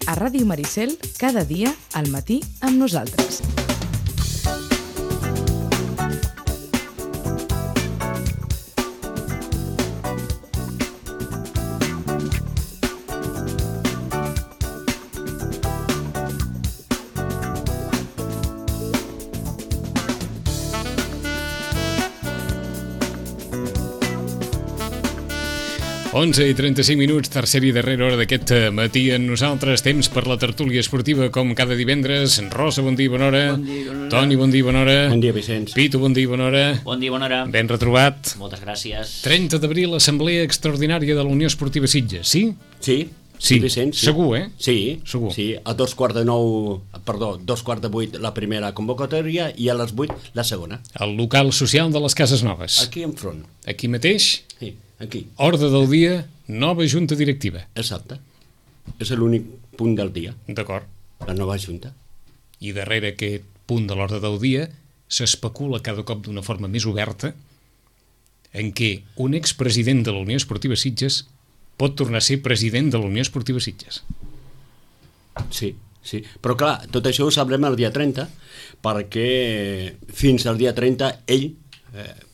a Ràdio Maricel, cada dia al matí amb nosaltres. Onze i 35 minuts, tercera i darrera hora d'aquest matí en nosaltres. Temps per la tertúlia esportiva, com cada divendres. Rosa, bon dia, bona hora. Bon dia, bona hora. Toni, bon dia, bona hora. Bon dia, Vicenç. Pitu, bon dia, bona hora. Bon dia, bona hora. Ben retrobat. Moltes gràcies. 30 d'abril, Assemblea Extraordinària de la Unió Esportiva Sitges, sí? Sí, Vicenç. Sí. Segur, eh? Sí, segur. Sí, a 2:15, la primera convocatòria i a les 8 la segona. El local social de les Cases Noves. Aquí enfront. Aquí mateix? Sí, aquí. Ordre del dia, nova junta directiva. Exacte. És l'únic punt del dia. D'acord. La nova junta. I darrere aquest punt de l'ordre del dia s'especula cada cop d'una forma més oberta en què un expresident de la Unió Esportiva Sitges pot tornar a ser president de la Unió Esportiva Sitges. Sí. Però clar, tot això ho sabrem el dia 30, perquè fins al dia 30 ell,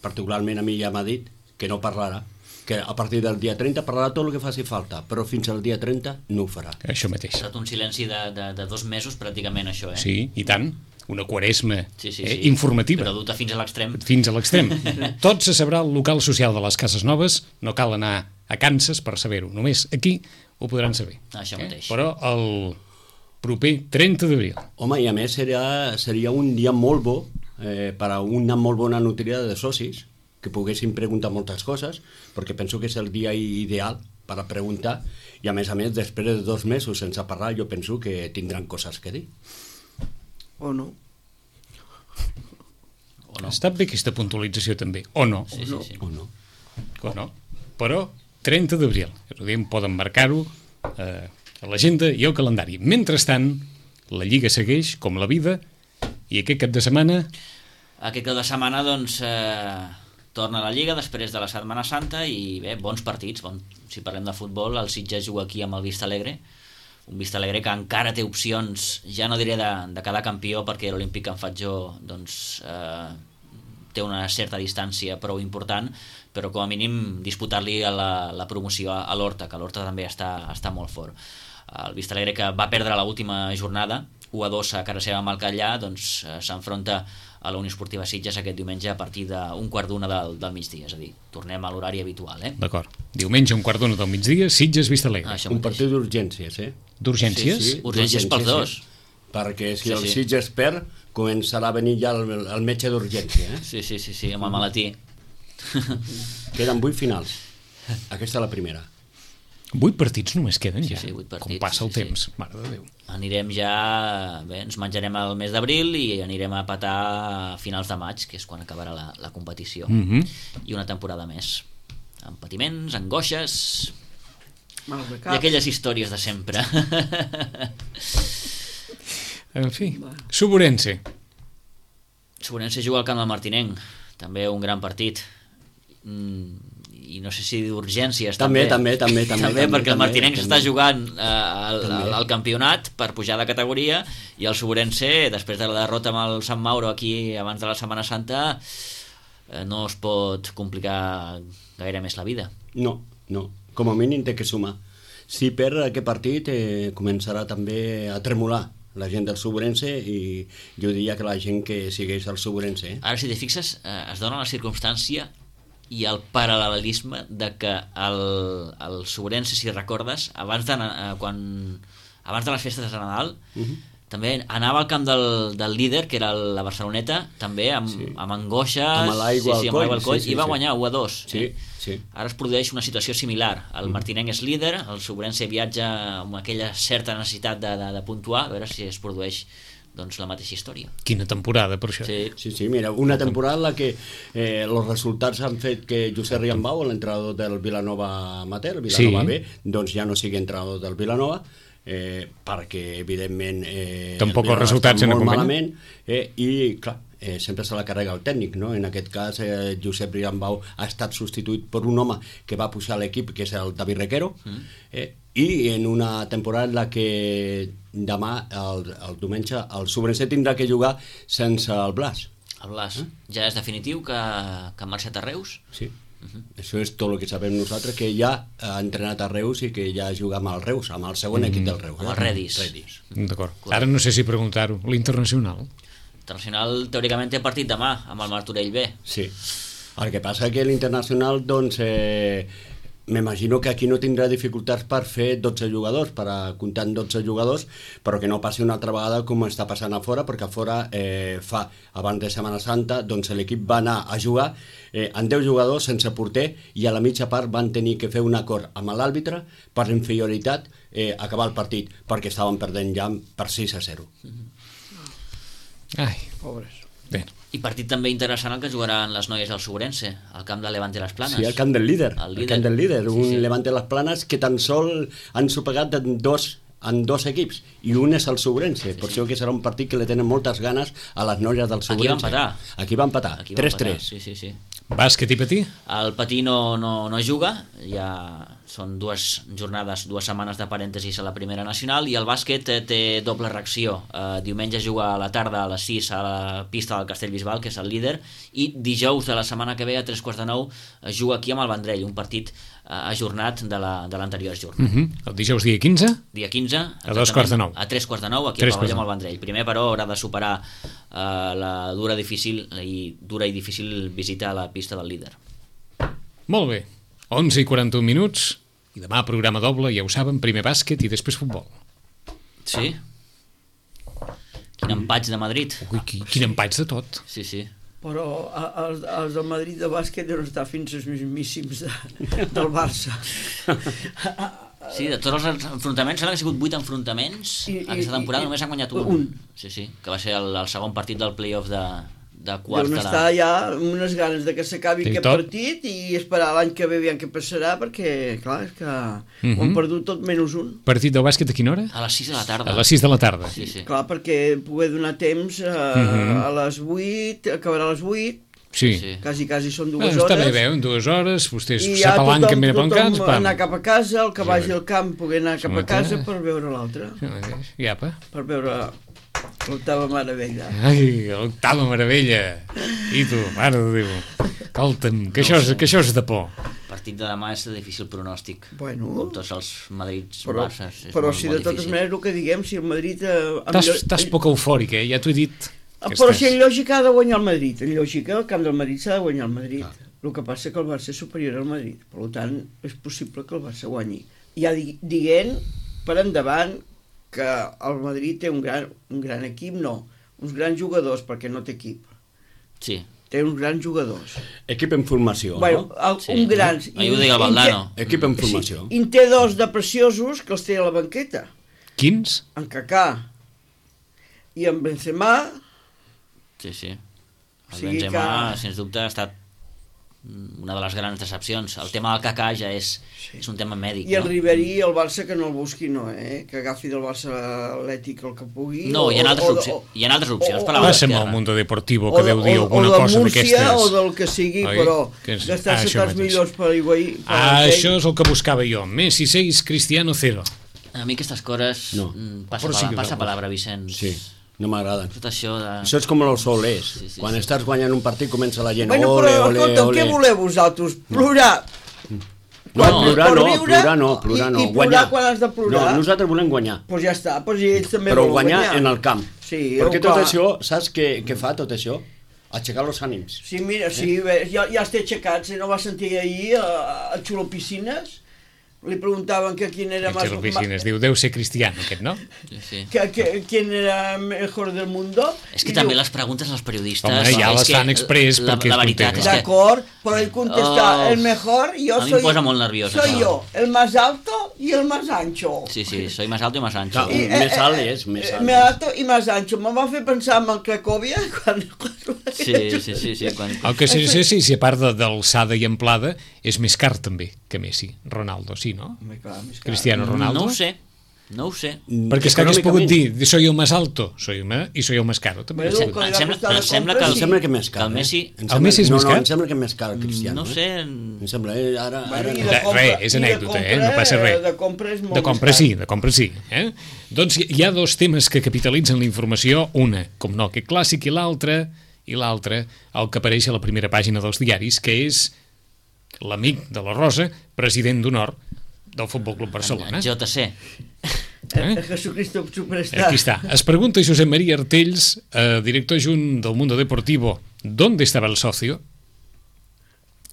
particularment a mi ja m'ha dit que no parlarà, que a partir del dia 30 parlarà tot el que faci falta, però fins al dia 30 no ho farà. Això mateix. Ha estat un silenci de 2 mesos pràcticament, això, eh? Sí, i tant. Una quaresma sí. informativa. Però duta fins a l'extrem. Fins a l'extrem. Tot se sabrà al local social de les Cases Noves, no cal anar a Kansas per saber-ho, només aquí ho podran saber. Això mateix. Però el proper 30 d'abril. Home, i a més seria un dia molt bo per a una molt bona nutria de socis, que poguessin preguntar moltes coses, perquè penso que és el dia ideal per a preguntar, i a més, després de 2 mesos sense parlar, jo penso que tindran coses que dir. O no. Està bé aquesta puntualització també, o no. Sí. O no. O no. Però 30 d'abril, poden marcar-ho a l'agenda i al calendari. Mentrestant, la Lliga segueix com la vida, i aquest cap de setmana... Aquest cap de setmana, doncs, torna a la Lliga després de la Setmana Santa i bé, bons partits. Si parlem de futbol, el Sitges juga aquí amb el Vista Alegre, un Vista Alegre que encara té opcions, ja no diré de quedar campió, perquè l'Olímpic en Fatjó doncs, té una certa distància prou important, però com a mínim disputar-li la promoció a l'Horta, que l'Horta també està molt fort. El Vista Alegre, que va perdre l'última jornada 1-2 a cara seva amb el Catllà, doncs s'enfronta a la Unió Esportiva Sitges aquest diumenge a partir d'1:15 del migdia, és a dir, tornem a l'horari habitual, eh? D'acord. Diumenge 1:15 del migdia, Sitges Vista Alegre. Un partit d'urgències, eh? D'urgències? Sí, urgències pels dos. Perquè si el Sitges perd, començarà a venir ja el metge d'urgència, eh? Sí, amb el malatí. Queden 8 finals. Aquesta és la primera. 8 partits només queden ja. Sí, 8 partits. Com passa el temps, mare de Déu. Anirem ja... Bé, ens menjarem el mes d'abril i anirem a petar a finals de maig, que és quan acabarà la competició. I una temporada més. Amb patiments, angoixes... I aquelles històries de sempre. En fi, Suburense. Suburense juga al camp del Martinenc. També un gran partit. I no sé si d'urgències també, perquè el Martinenc s'està jugant al campionat per pujar de categoria, i el Suburense, després de la derrota amb el Sant Mauro aquí abans de la Setmana Santa, no es pot complicar gaire més la vida. No, com a mínim té que sumar. Si perd aquest partit començarà també a tremolar la gent del Suburense, i jo diria que la gent que segueix el Suburense. Ara, si t'hi fixes, es dona la circumstància i el paral·lelisme de que el Suburense, si recordes, abans de les festes de Nadal, també anava al camp del líder, que era la Barceloneta, també amb angoixes, amb l'aigua al coll, i va guanyar 1-2. Sí. Ara es produeix una situació similar. El Martinenc és líder, el Suburense viatja amb aquella certa necessitat de puntuar, a veure si es produeix doncs la mateixa història. Quina temporada, per això. Sí, mira, una temporada en la que els resultats han fet que Josep Riambau, l'entrenador del Vilanova Amateur, Vilanova B, doncs ja no sigui entrenador del Vilanova, perquè evidentment tampoc els el Bilbao resultats està han molt acompanyat. malament, i clar, sempre se la carrega el tècnic, no? En aquest cas Josep Riambau ha estat substituït per un home que va pujar a l'equip, que és el David Requero, i en una temporada en la que demà, el diumenge, el Sobrense tindrà que jugar sense el Blas. El Blas, ja és definitiu que ha marxat a Reus? Sí. Això és tot el que sabem nosaltres, que ja ha entrenat a Reus i que ja juga amb el Reus, amb el segon equip del Reus. Amb el Redis. D'acord. Ara no sé si preguntar-ho. L'Internacional? Internacional teòricament té partit demà amb el Martorell B. Sí. El que passa que l'Internacional, doncs, m'imagino que aquí no tindrà dificultats per fer 12 jugadors, per comptar en 12 jugadors, però que no passi una altra vegada com està passant a fora, perquè a fora abans de Setmana Santa, doncs l'equip va anar a jugar amb 10 jugadors sense porter, i a la mitja part van tenir que fer un acord amb l'àrbitre per inferioritat acabar el partit, perquè estaven perdent ja per 6-0. Ai, Pobres. bé. I partit també interessant el que jugaran les noies del Sobrense, al camp de Levante Les Planes. Sí, el camp del líder. El camp del líder, un Sí. Levante Les Planes que tan sol han sopegat en dos equips, i un és el Sobrense, per això que serà un partit que le tenen moltes ganes a les noies del Sobrense. Aquí va empatar. 3-3. Sí. Bàsquet i patí? El Patí no juga, ja són 2 jornades, 2 setmanes de parèntesis a la primera nacional, i el bàsquet té doble reacció. Diumenge juga a la tarda a les 6 a la pista del Castellbisbal, que és el líder, i dijous de la setmana que ve a 3:45 juga aquí amb el Vendrell, un partit ajornat de l'anterior jornada. El dijous dia 15? Dia 15, A 2:45. A 3:45, aquí al pavelló amb el Vendrell. Primer, però, haurà de superar la dura i difícil visita a la pista del líder. Molt bé. 11:41 minuts, i demà programa doble, ja ho saben, primer bàsquet i després futbol. Sí? Quin empatx de Madrid. Ui, quin empatx de tot. Sí. Però els del Madrid de bàsquet deuen estar fins als mismíssims del Barça. Sí, de tots els enfrontaments, sembla que han sigut 8 enfrontaments aquesta temporada, només han guanyat un. Sí, que va ser el segon partit del play-off de quarts Deuen estar ja amb unes ganes de que s'acabi aquest partit i esperar l'any que ve aviam què passarà, perquè, clar, és que ho han perdut tot menys un. Partit del bàsquet a quina hora? A les 6 de la tarda. A les 6 de la tarda. Sí. Clar, perquè poder donar temps a les 8, acabarà a les 8, Sí. quasi són 2 hores. Està bé, en 2 hores, vostès i ja s'apalanquen ben apancats. Anar cap a casa, el que vagi al camp poder anar cap a casa per veure l'altre. Iapa. Per veure l'octava meravella. Ai, l'octava meravella. I tu, mare de Déu. Escolta'm, que això és de por. El partit de demà és de difícil pronòstic. Bueno. Com tots els Madrids Però molt, si de totes difícil. maneres el que diguem, si el Madrid... Estàs poc eufòric, ja t'ho he dit. Però si en lògica ha de guanyar el Madrid, en lògica el camp del Madrid s'ha de guanyar el Madrid. El que passa és que el Barça és superior al Madrid, per tant és possible que el Barça guanyi. Ja dient per endavant que el Madrid té un gran equip, no, uns grans jugadors, perquè no té equip. Sí. Té uns grans jugadors. Equip en formació, bueno, no? Un grans. Ahir ho deia el Valdano. Equip en formació. I en té 2 de preciosos que els té a la banqueta. Quins? En Kaká i en Benzema. Sí. El Benzema, sens dubte, ha estat una de les grans decepcions. El tema del Kaká ja és un tema mèdic. I el Ribéry, el Barça, que no el busqui, no, que agafi del Barça Atlètic el que pugui. No, hi ha altres opcions per la Passa'm al Mundo Deportivo, que deu dir alguna cosa d'aquestes. O del que sigui, però gastar-se tants milions per Higuaín. Això és el que buscava jo. Messi 6, Cristiano 0. A mi aquestes coses passa palabra, Vicenç. Sí. No m'agraden. Tot això de... Això és com els solers. Sí. Quan estàs guanyant un partit comença la gent bueno, ole. Què voleu vosaltres? Plorar? Plorar no. I plorar quan has de plorar? No, nosaltres volem guanyar. Doncs ja està, ells també però volen guanyar en el camp. Sí, perquè tot això, saps què fa tot això? Aixecar els ànims. Sí, mira, ja els té aixecats. No vas sentir ahir a Xulo Piscines? Li preguntaven que quién era más... Piscines, diu, deu ser Cristiano, aquest, no? Sí. ¿Quién era mejor del mundo? És que també les preguntes als periodistes... Home, ja les fan express perquè la veritat és que... D'acord, però ell contesta, el mejor, a mi em posa molt nerviós. Soy yo, el más alto y el más ancho. Sí, soy más alto y más ancho. Més alt és, més alt. Més alto i més ancho. Me'n va fer pensar en el Cracòvia quan... Sí. El que sí, si a part d'alçada i amplada, és més car també que Messi. Ronaldo, sí, no? Clar, Cristiano Ronaldo? No ho sé. No ho sé. Perquè és que hagués pogut dir, soy el más alto, soy el más caro. També. Bueno, que li va costar de compra, Em sembla que més car. Que el Messi... El Messi és més car? No, em sembla que més car el Cristiano. No sé... Em sembla, ara... Bueno, i Res, és anècdota, no passa res. De compra és molt De compra sí. Doncs hi ha dos temes que capitalitzen la informació, una, com no, que clàssic, i l'altre, el que apareix a la primera pàgina dels diaris, que és l'amic de la Rosa, president d'honor del Futbol Club Barcelona. JC. Jesucristo Superstar. Aquí está. Es pregunta Josep María Artells, director adjunt del Mundo Deportivo, ¿dónde estaba el socio?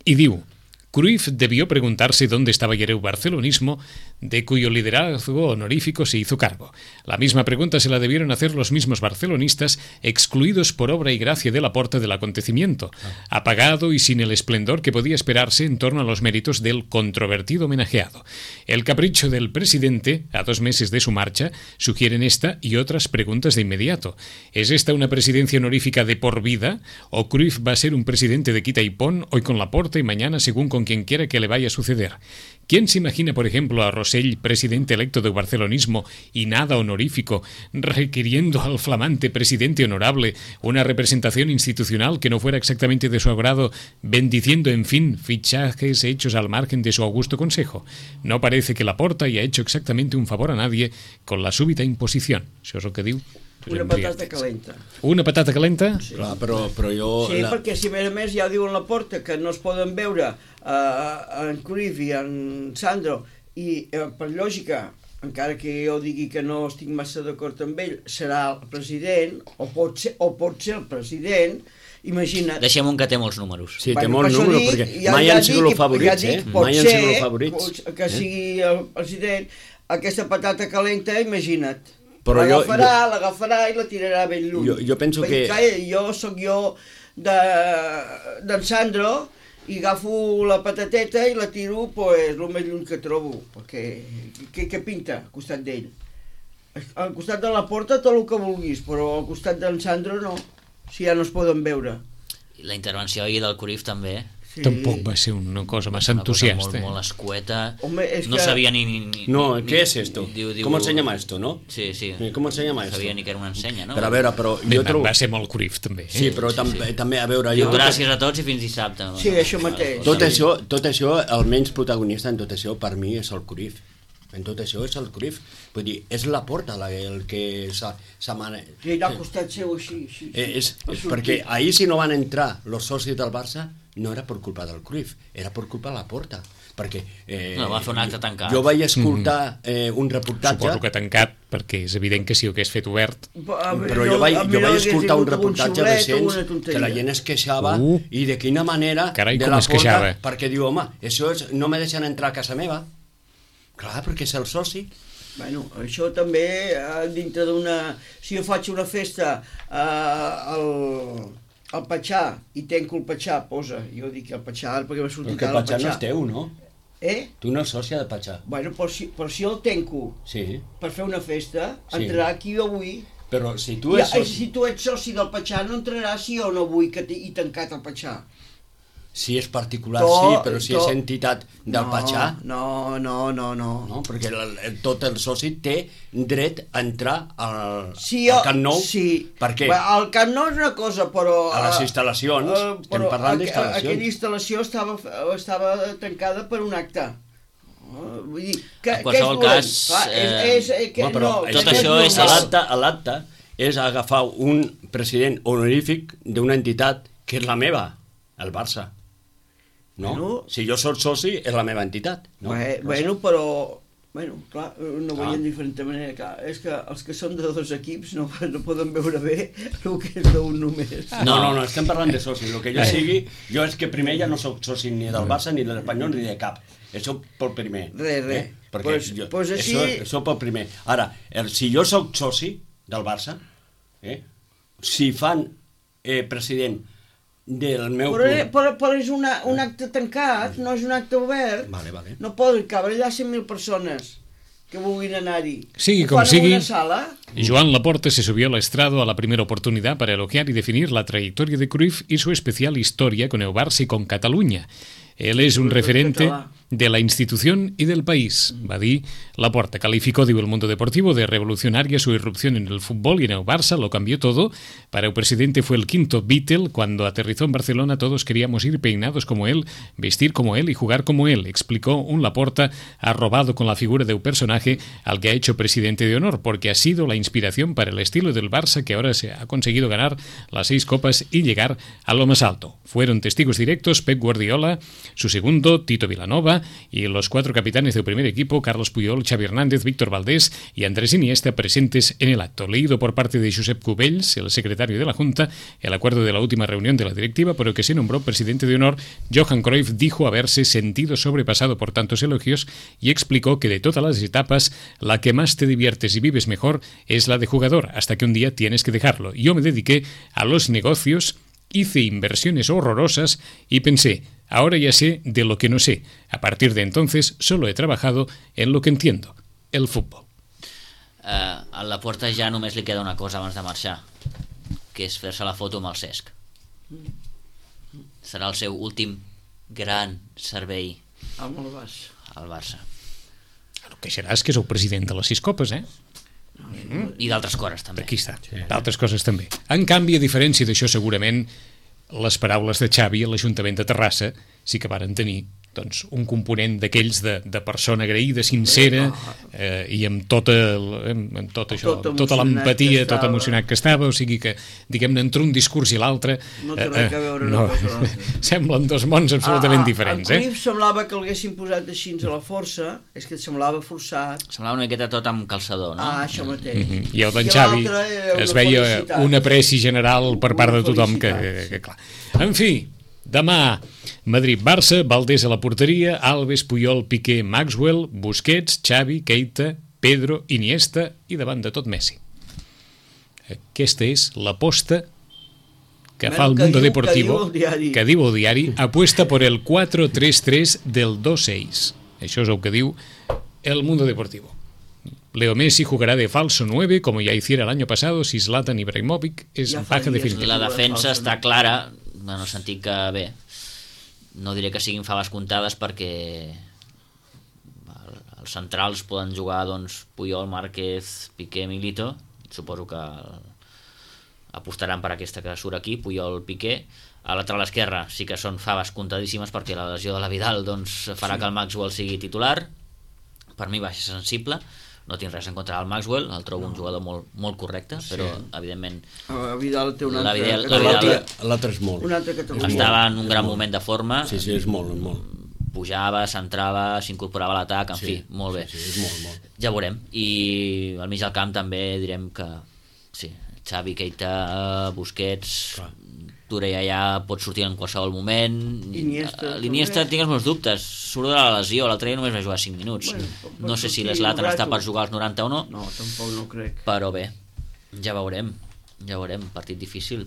Y diu, Cruyff debió preguntarse dónde estaba ayer el barcelonismo, de cuyo liderazgo honorífico se hizo cargo. La misma pregunta se la debieron hacer los mismos barcelonistas, excluidos por obra y gracia de Laporta del acontecimiento, apagado y sin el esplendor que podía esperarse en torno a los méritos del controvertido homenajeado. El capricho del presidente, a 2 meses de su marcha, sugieren esta y otras preguntas de inmediato. ¿Es esta una presidencia honorífica de por vida? ¿O Cruyff va a ser un presidente de quita y pon, hoy con Laporta y mañana según con quien quiera que le vaya a suceder? ¿Quién se imagina, por ejemplo, a Rosell, presidente electo del barcelonismo y nada honorífico, requiriendo al flamante presidente honorable una representación institucional que no fuera exactamente de su agrado, bendiciendo, en fin, fichajes hechos al margen de su augusto consejo? No parece que Laporta haya hecho exactamente un favor a nadie con la súbita imposición. Això és el que diu. Una patata calenta. Una patata calenta? Sí. Clar, però jo... Sí, perquè si a més ja diuen la porta que no es poden veure en Cruyff i en Sandro i per lògica, encara que jo digui que no estic massa d'acord amb ell, serà el president o pot ser el president. Imagina't. Deixem un que té molts números. Sí, té molts números, perquè mai han sigut els favorits, mai han sigut els favorits. Que sigui el president, aquesta patata calenta, imagina't. Però l'agafarà i la tirarà ben lluny. Jo penso que... Jo soc d'en Sandro i agafo la patateta i la tiro el més lluny que trobo, perquè què pinta al costat d'ell? Al costat de la porta tot el que vulguis, però al costat d'en Sandro no, si ja no es poden veure. I la intervenció ahir del Cruyff també. Sí. Tampoc va ser una cosa massa entusiasta. Molt escueta. Home, no que... sabia ni... No, ¿qué es esto? ¿Cómo se llama esto, no? Sí. ¿Cómo se llama esto? No sabia ni que era una ensenya, no? Però a veure, però jo trobo... Va ser molt Cruyff, també. Sí, però també, a veure... Diu, gràcies a tots i fins dissabte. Sí, això mateix. Tot això, el menys protagonista en tot això, per mi, és el Cruyff. En tot això és el Cruyff. Vull dir, és Laporta el que s'ha manat. Sí, al costat seu així. Perquè ahir si no van entrar els socis del Barça, no era per culpa del Cruyff, era per culpa de Laporta. Perquè no, va fer un acte tancat. Jo vaig escoltar un reportatge... Suposo que tancat, perquè és evident que si ho hagués fet obert... Però jo vaig escoltar un reportatge recent que la gent es queixava i de quina manera Carai, de com es queixava. Perquè diu, home, això no me deixen entrar a casa meva. Clar, perquè és el soci. Bueno, això també dintre d'una... Si jo faig una festa al Patxà i tenco el Patxà, posa, jo dic el Patxà perquè m'ha sortit ara el Patxà. No és teu, no? Tu no és sòcia de Patxà. Bueno, però si jo el tenco per fer una festa, entrarà qui jo vull. Però si tu ets soci... Si tu ets soci del Patxà, no entraràs si jo no vull que he tancat el Patxà. Si és particular, sí, però si és entitat del Patxà... No, perquè tot el soci té dret a entrar al Camp Nou. Sí, perquè el Camp Nou és una cosa, però... A les instal·lacions, estem parlant d'instal·lacions. Aquella instal·lació estava tancada per un acte. Vull dir, en qualsevol cas... Tot això és l'acte, és agafar un president honorífic d'una entitat que és la meva, el Barça. No? Si jo soc soci, és la meva entitat. Però... clar, no veiem de diferent manera. Clar, és que els que són de 2 equips no poden veure bé el que és d'un només. No, estem parlant de soci. El que jo sigui, jo és que primer ja no soc soci ni del Barça, ni de l'Espanyol, ni de cap. Això pel primer. Res. Això pel primer. Ara, si jo soc soci del Barça, si fan president del meu club... Però és un acte tancat, no és un acte obert. Vale. No poden cabre allà 100.000 persones que vulguin anar-hi. Sigui com sigui, sala. Joan Laporta se subió al estrado a la primera oportunidad para elogiar y definir la trayectoria de Cruyff y su especial historia con el Barça y con Cataluña. Él es un referente de la institución y del país, va dir Laporta. Calificó, diu, el mundo deportivo de revolucionaria su irrupción en el fútbol y en el Barça lo cambió todo. Para el presidente fue el quinto Beatle. Cuando aterrizó en Barcelona todos queríamos ir peinados como él, vestir como él y jugar como él, explicó un Laporta arrobado con la figura de un personaje al que ha hecho presidente de honor, porque ha sido la inspiración para el estilo del Barça, que ahora se ha conseguido ganar las 6 copas y llegar a lo más alto. Fueron testigos directos Pep Guardiola, su segundo, Tito Vilanova, y los 4 capitanes del primer equipo, Carlos Puyol, Xavi Hernández, Víctor Valdés y Andrés Iniesta, presentes en el acto. Leído por parte de Josep Cubells, el secretario de la Junta, el acuerdo de la última reunión de la directiva por el que se nombró presidente de honor. Johan Cruyff dijo haberse sentido sobrepasado por tantos elogios y explicó que de todas las etapas, la que más te diviertes y vives mejor es la de jugador, hasta que un día tienes que dejarlo. Yo me dediqué a los negocios, hice inversiones horrorosas y pensé, ahora ya sé de lo que no sé. A partir de entonces solo he trabajado en lo que entiendo, el fútbol. A Laporta ja només li queda una cosa abans de marxar, que és fer-se la foto amb el Cesc. Serà el seu últim gran servei Amb el Barça. al Barça. El que serà és que sou president de les 6 copes, eh? I d'altres coses també. Aquí està, d'altres coses també. En canvi, a diferència d'això, segurament les paraules de Xavi a l'Ajuntament de Terrassa sí que varen tenir doncs, un component d'aquells de persona agraïda, sincera, i amb tot això, tota l'empatia, tot emocionat que estava, o sigui que, diguem-ne, entre un discurs i l'altre No té res a veure una cosa amb l'altra. semblen dos mons absolutament diferents. En Cruyff semblava que l'haguessin posat així a la força, és que et semblava forçat. Semblava una miqueta tot amb calçador, no? Això mateix. I el d'en Xavi es veia un apreci general per part de tothom que clar. En fi, demà Madrid-Barça, Valdés a la porteria, Alves, Puyol, Piqué, Maxwell, Busquets, Xavi, Keita, Pedro, Iniesta i davant de tot Messi. Aquesta és l'aposta que fa el Mundo Deportivo, que diu el diari, apuesta por el 4-3-3 del 2-6. Això és el que diu el Mundo Deportivo. Leo Messi jugará de falso 9 como ya hiciera el año pasado si Zlatan Ibrahimovic es baja definitiva. La defensa està clara, en el sentit que, bé, no diré que siguin faves comptades perquè els centrals poden jugar doncs, Puyol, Márquez, Piqué, Milito. Suposo que apostaran per aquesta que surt aquí, Puyol, Piqué. A lateral esquerra sí que són faves comptadíssimes perquè la lesió de la Vidal doncs, farà que el Maxwell sigui titular. Per mi va ser sensible. No tinc res en contra del Maxwell, el trobo un jugador molt correcte, però evidentment Vidal té una l'altre és molt. Estava en un gran moment de forma. Sí, és molt. Pujava, s'entrava, s'incorporava a l'atac, en fi, molt bé. Sí, és molt. Ja veurem. I al mig del camp també direm que sí, Xavi, Keita, Busquets, Touré ja pot sortir en qualsevol moment. L'Iniesta tinc els meus dubtes, surt de la lesió, l'altre dia només va jugar 5 minuts. No sé si l'Zlatan està per jugar als 90 o no. No, tampoc no crec. Però bé, ja veurem, partit difícil.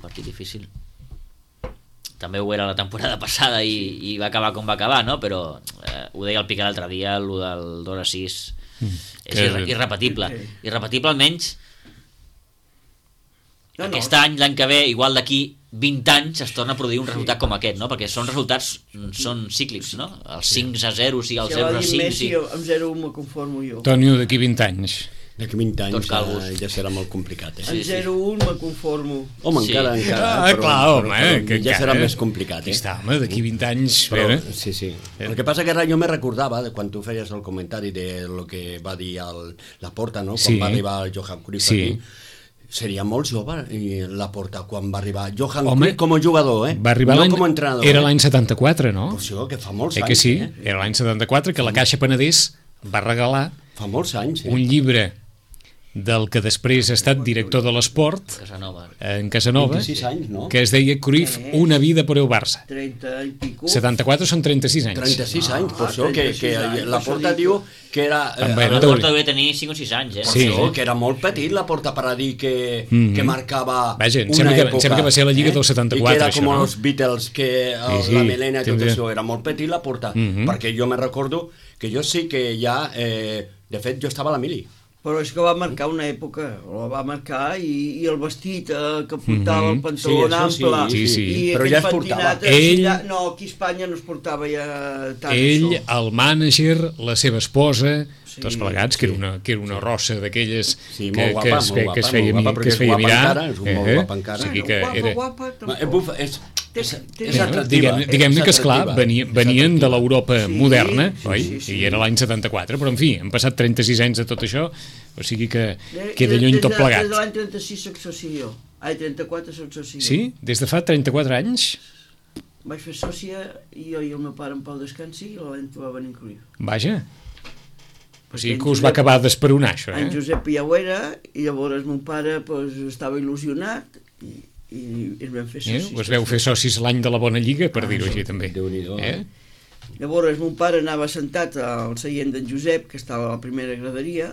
També ho era la temporada passada i va acabar com va acabar, no? Però ho deia el Piqué l'altre dia, el del 2-6 és irrepetible. Irrepetible almenys aquest any, l'any que ve, igual d'aquí 20 anys es torna a produir un resultat com aquest, no? Perquè són resultats, són cíclics, no? El 5-0, sigui el 0-5... Amb 0-1 me conformo jo. Tònio, d'aquí 20 anys. D'aquí 20 anys ja serà molt complicat. Amb 0-1 me conformo. Home, encara. Ja serà més complicat. Està, home, d'aquí 20 anys... Sí. El que passa que ara jo me recordava, quan tu feies el comentari de lo que va dir Laporta, no? Quan va arribar el Johan Cruyff aquí. Seria molt jove Laporta quan va arribar Johan Cruyff com a jugador, va arribar no com a entrenador. Era l'any 74, no? Per això, que fa molts anys. Que sí, era l'any 74 que la Caixa Penedès va regalar fa molts anys, un llibre del que després ha estat director de l'esport en Casanova, 26 anys, no? Que es deia Cruyff, una vida per el Barça. 30 i pico. 74 són 36 anys. 36 anys, per això que Laporta diu que era... Laporta devia tenir 5 o 6 anys, Per això, que era molt petit Laporta per a dir que marcava una època. Sembla que va ser la Lliga del 74, i que era com això, no? els Beatles, que la melena i tot això, era molt petit Laporta, perquè jo me recordo que jo sí que ja... De fet, jo estava a la mili Però és que va marcar una època, la va marcar i el vestit que portava, el pantaló ample, sí. i Però aquest ja es portava. pentinat, no, aquí a Espanya no es portava ja tant Ell, això. el mànager, la seva esposa, Sí, tots plegats, que era una rossa d'aquelles Sí, que, molt guapa, que es feia, molt guapa, que es feia perquè és guapa mirar. encara, és molt guapa encara. O sigui que era... Guapa, És Bueno, atractiva. diguem-ne que, esclar, atractiva. venien de l'Europa Sí, moderna, sí, oi? sí. I era l'any 74, però en fi, han passat 36 anys de tot això, o sigui que queda lluny tot plegat. Des de l'any 36 soc soci jo. Ai, 34 soc soci jo. Sí? Des de fa 34 anys? Vaig fer sòcia i jo i el meu pare en Pau descansi i l'any que va venir Cruyff. Vaja. O sigui en que us va Josep- acabar d'esperonar, això, En eh? Josep ja ho era i llavors mon pare pues, estava il·lusionat i es vam fer socis. Us veu fer socis l'any de la Bona Lliga, per dir-ho així, també. Déu-n'hi-do, Llavors mon pare anava sentat al seient d'en Josep, que estava a la primera graderia,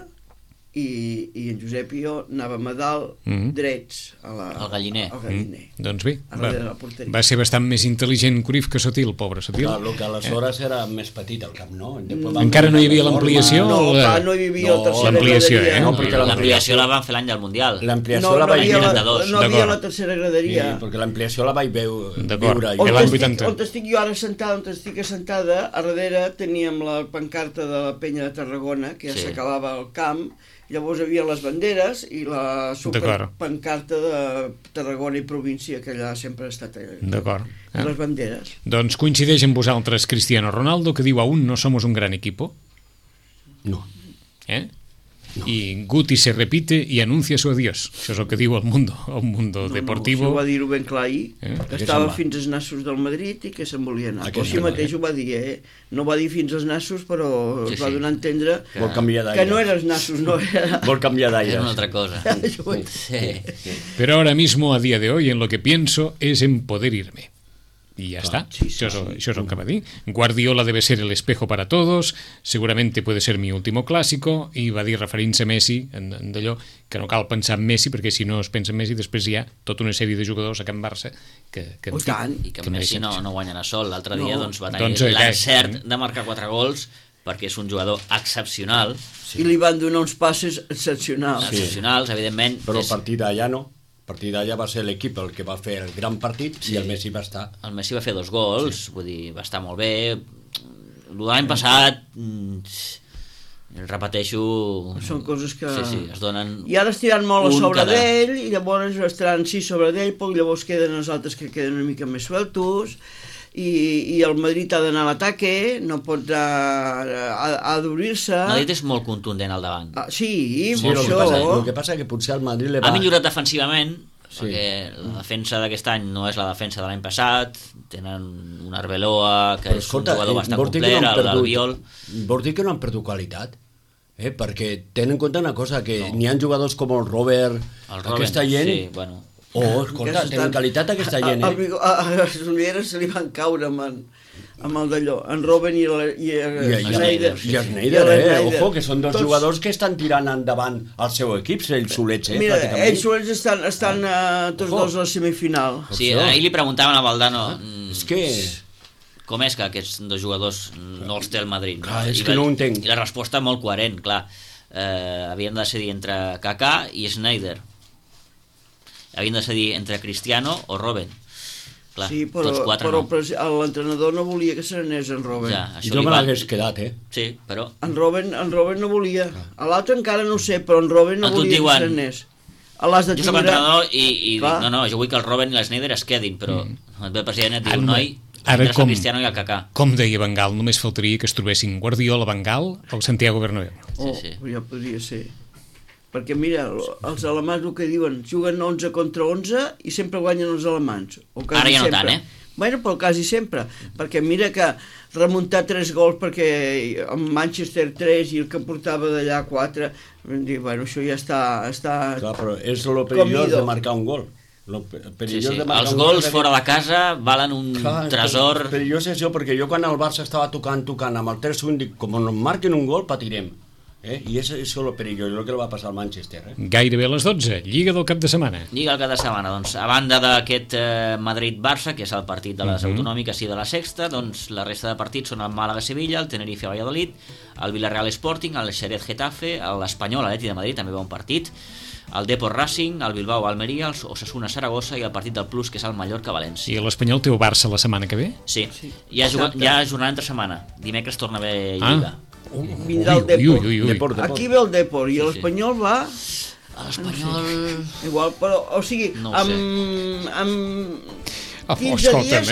i en Josep i jo anàvem a dalt drets Al galliner. Al galliner. Doncs bé, A darrere de la porteria. va ser bastant més intel·ligent Cruyff que Sotil, pobre Sotil. Clar, el que aleshores era més petit el camp, no? Encara no hi havia l'ampliació? No, o clar, no hi havia la tercera l'ampliació, graderia. eh? No, perquè L'ampliació la van fer l'any del Mundial. L'ampliació No la vaig havia veure. la, 92. no havia D'acord. la tercera graderia. Sí, perquè l'ampliació la vaig D'acord. viure. I On l'any estic, 80. on estic jo ara sentada, on estic assentada, a darrere teníem la pancarta de la penya de Tarragona, que ja Sí. s'acabava el camp, llavors hi havia les banderes i la D'acord. pancarta de Tarragona i província, que allà sempre ha estat allà. D'acord. I les banderes. Doncs coincideix amb vosaltres Cristiano Ronaldo, que diu aún no somos un gran equipo, No. ¿eh? Y Guti se repite y anuncia su adiós. Això és el que diu el mundo deportivo. No, això va dir-ho ben clar ahir, que Què estava se'n va? fins als nassos del Madrid i que se'n volia anar. Què Així se'n va, mateix ho va dir, No va dir fins als nassos, però Sí, es va sí. donar a entendre Vol canviar d'aire. que no eren els nassos, no era... Vol canviar d'aire. Era una altra cosa. Això ho he- Sí. Pero ahora mismo, a día de hoy, en lo que pienso es en poder irme. Y ya está. Això és el que va dir. Guardiola debe ser el espejo para todos, seguramente puede ser mi último clásico, i va dir, referint-se a Messi, en d'allò, que no cal pensar en Messi, perquè si no es pensa en Messi, després hi ha tota una sèrie de jugadors a Can Barça que Oh, tant. I que Messi no guanya sol. L'altre dia No. doncs, va Doncs, tenir què? l'encert de marcar 4 gols perquè és un jugador excepcional, I li van donar uns passes excepcionals. excepcionals, evidentment. Però a És, partir d'allà no. A partir d'allà va ser l'equip el que va fer el gran partit i el Messi va estar... el Messi va fer 2 gols, vull dir, va estar molt bé. L'any passat, repeteixo... Són coses que... Sí, es donen... I ara estiran molt a un sobre cada- d'ell, i llavors estaran sí sobre d'ell, però llavors queden els altres que queden una mica més sueltos, i el Madrid ha d'anar a l'ataque, no pot ha d'obrir-se... Madrid és molt contundent al davant. Sí, Sí, per el que això... passa és que potser el Madrid le Ha va... millorat defensivament, Sí. perquè la defensa d'aquest any no és la defensa de l'any passat, tenen un Arbeloa que és un jugador bastant vols dir que complet, no han el Albiol... Vols dir que no han perdut qualitat? Perquè ten en compte una cosa, que n'hi ha jugadors com el Robert, El Robben, aquesta gent... sí, bueno. Escolta, tenen qualitat aquesta gent, A les ulleres se li van caure amb el d'allò, en Robben i el Schneider. I el Schneider, ojo, que són dos jugadors que estan tirant endavant el seu equip, ells solets, Mira, pràcticament. ells solets estan tots dos a la semifinal. Sí, ahir li preguntaven a Valdano És que... com és que aquests dos jugadors no els té el Madrid. Clar, és I que no ho entenc. I la resposta molt coherent, clar. Havien de decidir entre Kaká i Schneider. Havien de decidir entre Cristiano o Robben. Clar, Sí, tots quatre no. l'entrenador no volia que se n'anés en Robben. Ja, això Jo li me va... l'hagués quedat, Sí, però... En Robben no volia. A l'altre encara no ho sé, però en Robben no A tu et volia diuen- que se n'anés. A l'has de Jo soc tindre... entrenador i dic, Clar. no, jo vull que el Robben i el Schneider es quedin, però el president et diu, Ara, noi, ara entres com- el Cristiano i el Kaká. Com deia Van Gaal, només faltaria que es trobessin Guardiola, Van Gaal o Santiago Bernabéu. Oh, Sí. ja podria ser. Perquè mira, els alemans el que diuen, juguen 11 contra 11 i sempre guanyen els alemans. O quasi Ara ja no sempre. tant, Bueno, però quasi sempre, perquè mira que remuntar 3 gols perquè en Manchester 3 i el que portava d'allà 4, bueno, això ja està Clar, però és el perillós Comido. de marcar un gol. Lo Sí, perillós sí. de marcar Els un gol gols és fora de casa valen un Clar, tresor... perillós és això, perquè jo quan el Barça estava tocant amb el 3-1 dic, com no marquen un gol, patirem. Y eso es lo perilloso, lo que le va a pasar al Manchester. Gairebé a les 12, Lliga del cap de setmana. Lliga al cap de setmana, doncs, a banda d'aquest Madrid-Barça, que és el partit de les autonòmiques i de la sexta, doncs la resta de partits són el Màlaga-Sevilla, el Tenerife-Valladolid, el Villarreal-Sporting, el Xerez-Getafe, l'Espanyol, l'Atleti de Madrid, també va un partit, el Depor Racing, el Bilbao-Almeria, el Osasuna-Saragossa i el partit del Plus, que és el Mallorca-València. I l'Espanyol té el Barça la setmana que ve? Sí, hi ha jornada entre setmana. Dimecres torna a haver Lliga. Vindrà el Depor. Depor. Aquí ve el Depor i l'Espanyol va... L'Espanyol... Igual, però, o sigui, No ho sé. amb 15 escolta'm, dies,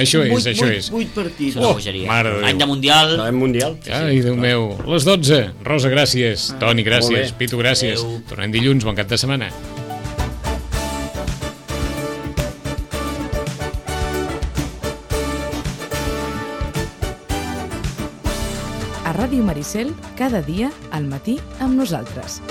això és. 8 partits. Això és una bogeria. mare de Déu. Any de Mundial... En Mundial. Ai, Déu meu. Les 12. Rosa, gràcies. Toni, gràcies. Molt bé. Pitu, gràcies. Adéu. Tornem dilluns, bon cap de setmana. A Ràdio Maricel, cada dia al matí amb nosaltres.